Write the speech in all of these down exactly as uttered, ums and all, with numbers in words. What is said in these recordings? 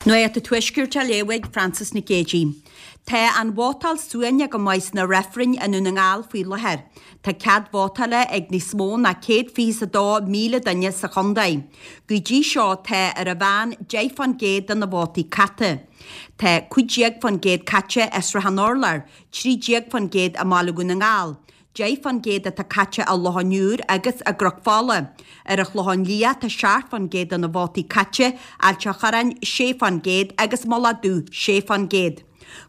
Nuacht an Tuaiscirt á léamh ag Frances Nic Géadaigh. Tá an vótáil suaimhneach go maith sna reifrinn i nDún na nGall faoi láthair. Tá cead vótála ag níos mó ná céad fiche is a dó míle duine sa chontae. Go dtí seo tá ar an mheán deich fán gcéad de na vótaí caite. Tá cúig déag fán gcéad caite i Srath an Urláir, trí déag fán gcéad i mBaile Dhún na nGall, deich fán gcéad atá caite i Loch an Iúir agus i gCnoc Fola. Ar an Chlochán Liath tá seacht fán gcéad de na vótaí caite, Ailt a' Chorráin sé fán gcéad agus Mullach Dubh sé fán gcéad.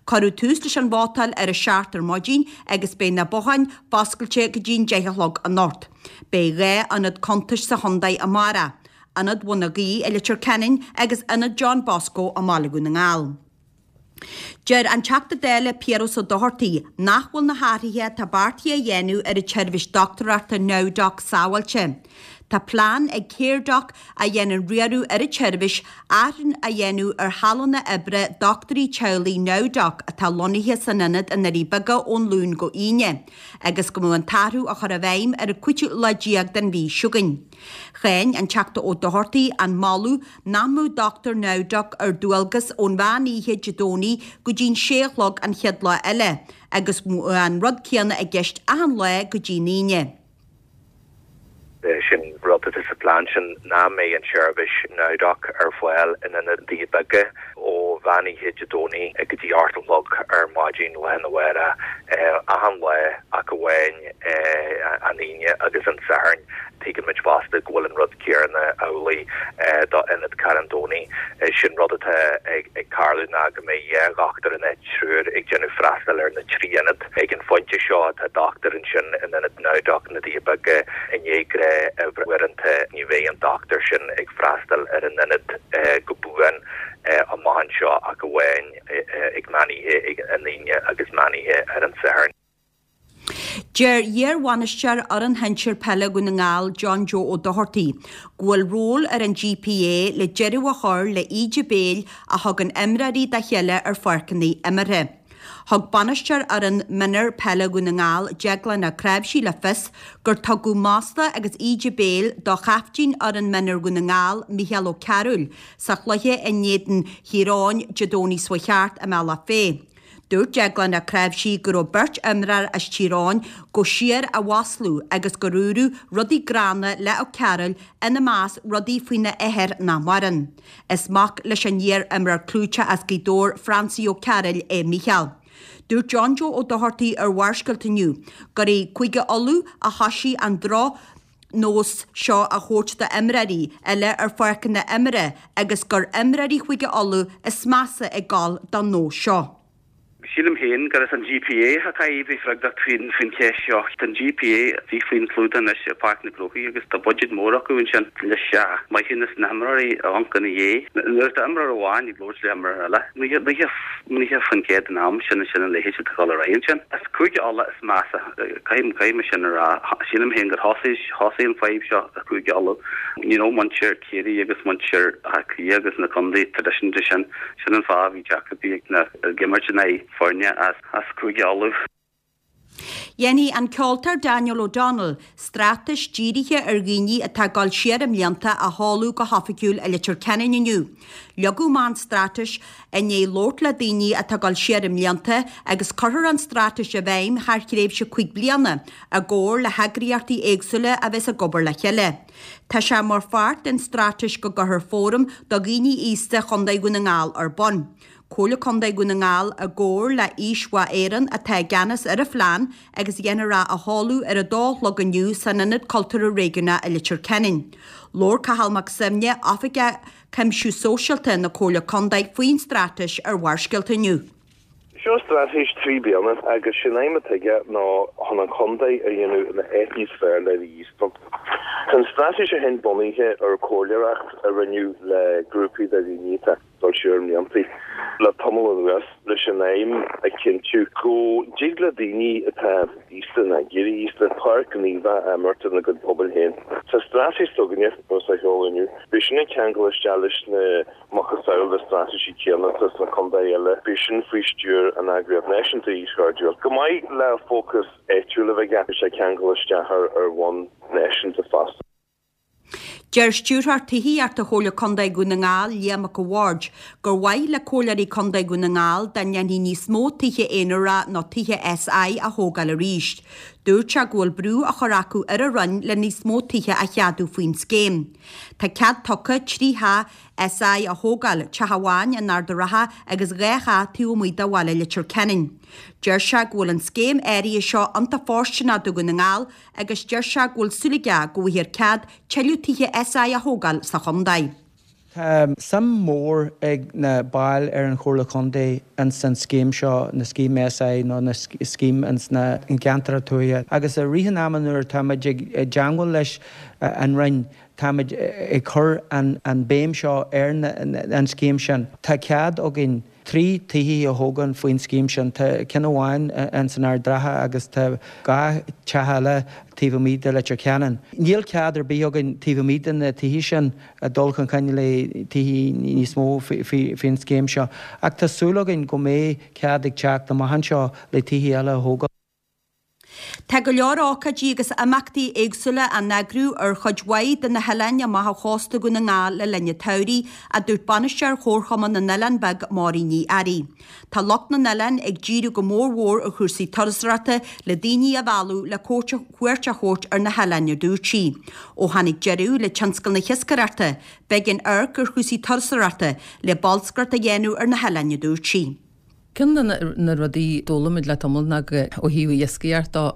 Cuireadh tús leis an vótáil ar a seacht ar maidin agus beidh na botháin foscailte go dtí an deich a chlog anocht. Beidh dhá ionad cuntais sa chontae amárach, Ionad Bhun na Gaoithe i Leitir Ceanainn agus Ionad John Bosco i mBaile Dhún na nGall. Deir an Teachta Dála Piaras Ó Dochartaigh nach bhfuil na hathruithe atá beartaithe a dhéanamh ar an tseirbhís dochtúireachta NowDoc sábháilte. Tá plean ag Caredoc, a dhéanann riaradh ar an tseirbhís, athrú a dhéanamh ar shealanna oibre dochtúirí teaghlaigh NowDoc atá lonnaithe san ionad i nDoirí Beaga ón Luan go hAoine, agus go mbeadh an t-athrú á chur i bhfeidhm ar an cúigiú lá déag den mhí seo chugainn. Cháin an Teachta Ó Dochartaigh an moladh nach mbeadh dochtúir NowDoc ar dualgas ón mheán oíche Dé Domhnaigh go dtí'n sé a chlog an chéad lá eile agus an rud céanna i gceist achan lá go dtí'n Aoine. Sin rud atá sa phlean sin ná mbeidh an tseirbhís NowDoc ar fáil in ionad Doirí Beaga ó mheán oíche Dé Domhnaigh go dtí ocht a chlog ar maidin lá arna mhárach achan lá ach amháin an Aoine agus an Satharn. Tuigimid fosta go bhfuil an rud céanna amhlaidh do Ionad Charn Domhnaigh. Sin rud atá ag tarlú ná go mbeidh dhá dhochtúir in áit triúr ag déanamh freastal ar na trí ionad. Ag an phointe seo tá dochtúir ansin in Ionad NowDoc na Doirí Beaga i ndiaidh gnáthuaireanta. Ní bheidh an dochtúir sin ag freastal ar an ionad go buan amach anseo ach amháin ag meán oíche ag an Aoine agus meán oíche ar an Satharn. Deir iar-bhainisteoir fhoireann shinsir peile Dhún na nGall, John Joe Ó Dochartaigh, go bhfuil ról ar an GPA le deireadh a chur le íde béil a thugann imreoirí dá chéile ar pháirceanna imeartha. Thug bainisteoir fhoireann mionúir peile Dhún na nGall, Deaglán Ó Cnáimhsí le fios gur tugadh masla agus íde béil do chaiftín fhoireann mionúir Dhún na nGall, Mícheál Ó Cearúil, sa chluiche in éadan Thír Eoghain Dé Domhnaigh seo thart i mBealach Féich. Dúirt Deaglán Ó Cnáimhsí go raibh beirt imreoir as Tír Eoghain go síor á mhaslú agus gur dúradh rudaí gránna le Ó Cearúil, ina measc rudaí faoina athair nach maireann. Is mac leis an iar-imreoir clúiteach as Gaoth Dobhair, Francie Ó Cearúil, é Mícheál. Dúirt John Joe Ó Dochartaigh ar Bharrscéalta inniu gur i gCúige Uladh a thoisigh an droch nós seo a thabhairt d'imreoirí eile ar pháirceanna imeartha agus gur imreoirí Chúige Uladh is measa ag gabháil don nós seo. Sílim féin gur as an GPA a chaithfidh bheith freagrach faoin faoin cheist seo. Tá an GPA bhí faoin chlúdach anois i Páirc na gCrócaigh agus tá budget mór acu ansin leis maithiúnas na himreoirí a amhanc ina dhiaidh. Nuair atá imreoir amháin ag labhairt le himreoir eile, naocha faoin gcéad den am sin sin a leithéid atá ag dul ar aghaidh ansin. Is Cúige Uladh is measa, caithfidh caithfidh mé sin a rá. Sílim féin gur thosaigh thosaigh an fadhb seo i Cúige Uladh. You know muintir Ciarraí agus muintir Átha Cliath agus na contaetha traidisiúnta sin, sin an fáth a bhí deacrachtaí ag na ag imirt in aghaidh foirne as as Cúige Uladh. Dhéanfaidh an ceoltóir Daniel O'Donnell straitéis dírithe ar dhaoine atá ag dul siar i mblianta a sheoladh go hoifigiúil i Leitir Ceanainn inniu. Leagadh amach an straitéis i ndiaidh labhairt le daoine atá ag dul siar i mblianta agus cuirfear an straitéis i bhfeidhm thar thréimhse cúig bliana i gcomhar le heagraíochtaí éagsúla a bheas ag obair le chéile. Tá sé mar pháirt den straitéis go gcuirfear fóram do dhaoine aosta Chontae Dhún na nGall ar bun. Comhairle Contae Dhún na nGall i gcomhar le Aois Mhaith Éireann atá i gceannas ar an phlean agus dhéanfar é a sheoladh ar a dó a chlog inniu san Ionad Cultúrtha Réigiúnach i Leitir Ceanainn. Labhair Cathal Mac Suibhne, Oifigeach Cuimsiú Sóisialta na Comhairle Contae faoin straitéis ar Bharrscéalta inniu. Seo straitéis trí bliana agus sin aidhm atá aige ná chun an contae a dhéanamh ina áit níos fearr le bheith aosta. Tá an straitéis seo féin bunaithe ar chomhairleoireacht a rinneadh le grúpaí de dhaoine atá ag dul siar i mblianta le tamall anuas leis an aidhm a chinntiú go dtig le daoine atá aosta nó ag éirí aosta páirt ghníomhach a imirt ina gcuid pobail féin. Sa straitéis s'againne, agus á sheoladh inniu, beidh sin ag ceangal isteach leis na macasamhail de straitéisí céanna atá sna contaetha eile, beidh sin faoi stiúir an eagraíocht náisiúnta Aois Chairdiúil. Chomh maith le fócas áitiúil a bheith aige, beidh sé ag ceangal isteach ar bhonn náisiúnta fosta. Deir Stiúrthóir Tithíochta Chomhairle Contae Dhún na nGall, Liam Mac a' Bhaird, gur mhaith le comhairleoirí contae Dhún na nGall dá ndéanfaí níos mó tithe aonarach nó tithe SI a thógáil arís. Dúirt sé go bhfuil brú á chur acu ar an Roinn le níos mó tithe a cheadú faoin scéim. Tá cead tugtha trí theach SI a thógáil, teach amháin in Ard an Rátha agus dhá theach taobh amuigh de bhaile Leitir Ceanainn. Deir sé go bhfuil an scéim áirithe seo iontach fóirsteanach do Dhún na nGall agus deir sé go bhfuil súil aige go bhfaighfear cead tuilleadh tithe SI a thógáil sa chontae. Tá suim mhór ag na baill ar an Chomhairle Contae ins an scéim seo, na scéim SI nó na scéim ins na gceantracha tuaithe agus i rith an ama nuair atáimid ag teangmháil leis an Roinn táimid ag cur an béim seo ar an scéim sin. Tá cead againn trí tithe a thógáil faoin scéim sin. Tá ceann amháin ins an Ard Ratha agus tá dhá teach eile taobh amuigh de Leitir Ceanainn. Níl cead ar bith againn taobh amuigh de na tithe sin dul chun cinn le tithe níos mó faoin scéim seo. Ach tá súil againn go mbeidh cead ag teacht amach anseo le tithe eile a thógáil. Tá go leor ócáidí agus imeachtaí éagsúla á n-eagrú ar chuid mhaith de na hoileáin amach ó chósta Dhún na nGall le linn an tsamhraidh, a dúirt Bainisteoir Chomharchumann na nOileán Beag, Máirín Ní Fhearraigh. Tá lucht na n-oileán ag díriú go mórmhór ar chúrsaí turasóireachta le daoine a mhealladh le cuairt a thabhairt ar na hoileáin, a dúirt sí. Ó tháinig deireadh le tionscal na hiascaireachta, b'éigean amharc ar chúrsaí turasóireachta le bolscaireacht a dhéanamh ar na hoileáin, a dúirt sí. Ceann de na rudaí a d'fhoghlaim muid le tamall ná go ó thaobh iascaireacht de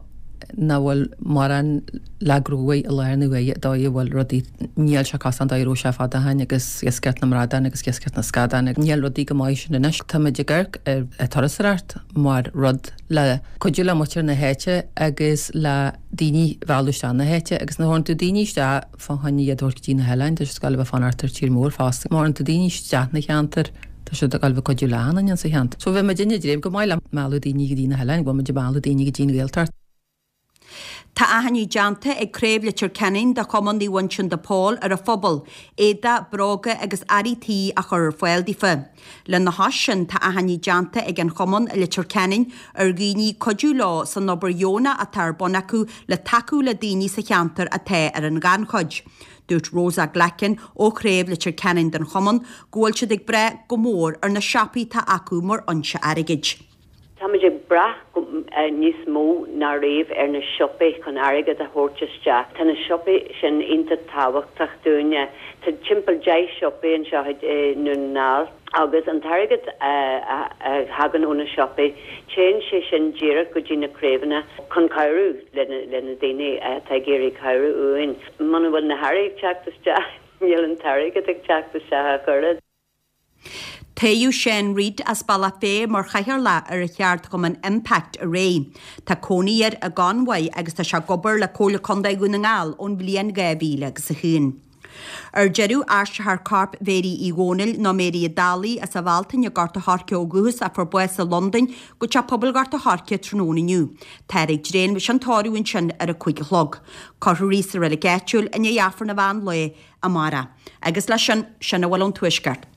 nach bhfuil mórán le gnóthú i láthair na huaire dóigh a bhfuil rudaí níl sé cosúil leis an dóigh a raibh sé fad ó shin agus iascaireacht na mbradán agus iascaireacht na scadán níl rudaí chomh maith sin anois. Táimid ag amharc ar turasóireacht mar rud le cuidiú le muintir na háite agus le daoine a mhealladh isteach na háite agus nuair a thabharann tú daoine isteach fá choinne iad a thabhairt go dtí na hoileáin tá siad ag gabháil a bheith ag fanacht ar tír mór fosta. Má thabharann tú daoine isteach na cheantar Tá siad ag gabháil a bheith ag cuidiú le achan duine sa cheantar. So bheidh muidinne ag dréim go maith le mealladh daoine go dtí na hoileáin, go bhfuil muid ag mealladh daoine go dtí an Ghaeltacht. Tá achainí déanta ag Craobh Leitir Ceanainn de Chumann Naomh Uinseann de Pól ar an phobal, éadach, bróga agus earraí tí a chur ar fáil daofa. Lena chois sin tá achainí déanta ag an Chumann i Leitir Ceanainn ar dhaoine cuidiú leo san obair dheonach atá ar bun acu le tacú le daoine sa cheantar atá ar an ghannchuid. Dúirt Rosa Glackin ó chraobh Leitir Ceanainn den chumann go bhfuil siad ag brath go mór ar na siopaí atá acu mar fhoinse airgid. Táimid ag brath níos mó ná riamh ar na siopaí chun airgead a thabhairt isteach. Tá na siopaí sin iontach tábhachtach dúinne. Tá timpeall deich siopaí anseo i nDún na nGall agus an t-airgead a thagann ó na siopaí, téann sé sin díreach go dtí na craobhanna chun cabhrú le na daoine atá ag iarraidh cabhrú uainn. Muna bhfuil na hearraí ag teacht isteach, níl an t-airgead ag teacht isteach ach oiread. Toghadh Seán Reid as Bealach Féich mar chathaoirleach ar cheardchumann Impact aréir. Tá cónaí air i gConmhaigh agus tá sé ag obair le Comhairle Contae Dhún na nGall ón bhliain dhá mhíle agus a haon. Ar deireadh, aistreofar corp Mhéirí Uí Dhónaill, nó Mary an Dálaigh, as an Bhealtaine i nGort a' Choirce ó dhúchas a fuair bás i Londain go Teach Pobail Ghort a' Choirce tráthnóna inniu. Táthar ag dréim leis an tórramh ansin ar a cúig a chlog. Cuirfear í sa reilig áitiúil i ndiaidh Aifreann an mheán lae amárach. Agus leis sin, sin a bhfuil ón Tuaisceart.